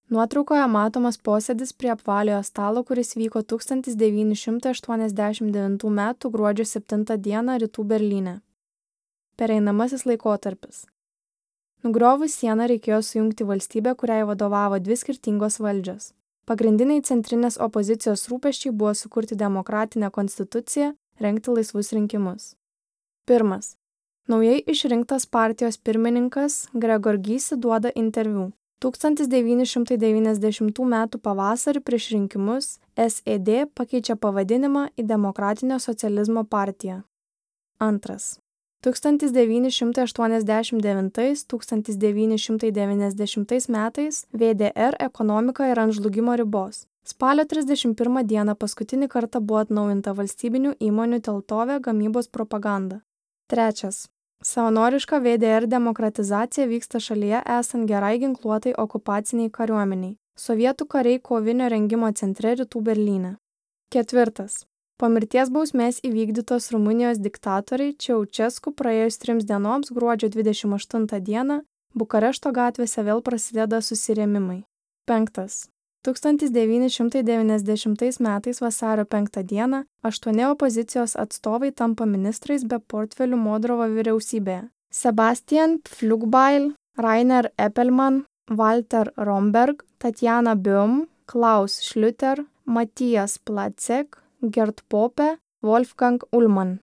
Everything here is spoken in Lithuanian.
Nuotraukoje matomas posėdis prie apvaliojo stalo, kuris vyko 1989 m. gruodžio 7 d. Rytų Berlyne. Pereinamasis laikotarpis. Nugriovus sieną reikėjo sujungti valstybę, kuriai vadovavo dvi skirtingos valdžios. Pagrindiniai centrinės opozicijos rūpesčiai buvo sukurti demokratinę konstituciją, rengti laisvus rinkimus. 1. Naujai išrinktas partijos pirmininkas Gregor Gysi duoda interviu. 1990 m. pavasarį prieš rinkimus SED pakeičia pavadinimą į Demokratinio socializmo partiją. 2. 1989–1990 metais VDR ekonomika yra ant žlugimo ribos. Spalio 31 dieną paskutinį kartą buvo atnaujinta valstybinių įmonių Teltove gamybos propaganda. 3. Savanoriška VDR demokratizacija vyksta šalyje esant gerai ginkluotai okupaciniai kariuomeniai. Sovietų kariai kovinio rengimo centre Rytų Berlyne. 4. Po mirties bausmės įvykdytos Rumunijos diktatoriai Ceausescu praėjus 3 dienoms gruodžio 28 dieną Bukarešto gatvėse vėl prasideda susirėmimai. 5. 1990 metais vasario 5 dieną 8 opozicijos atstovai tampa ministrais be portfelių Modrovo vyriausybėje. Sebastian Pflugbeil, Rainer Eppelmann, Walter Romberg, Tatjana Böhm, Klaus Schlüter, Matthias Platzek, Gerd Pope, Wolfgang Ullmann.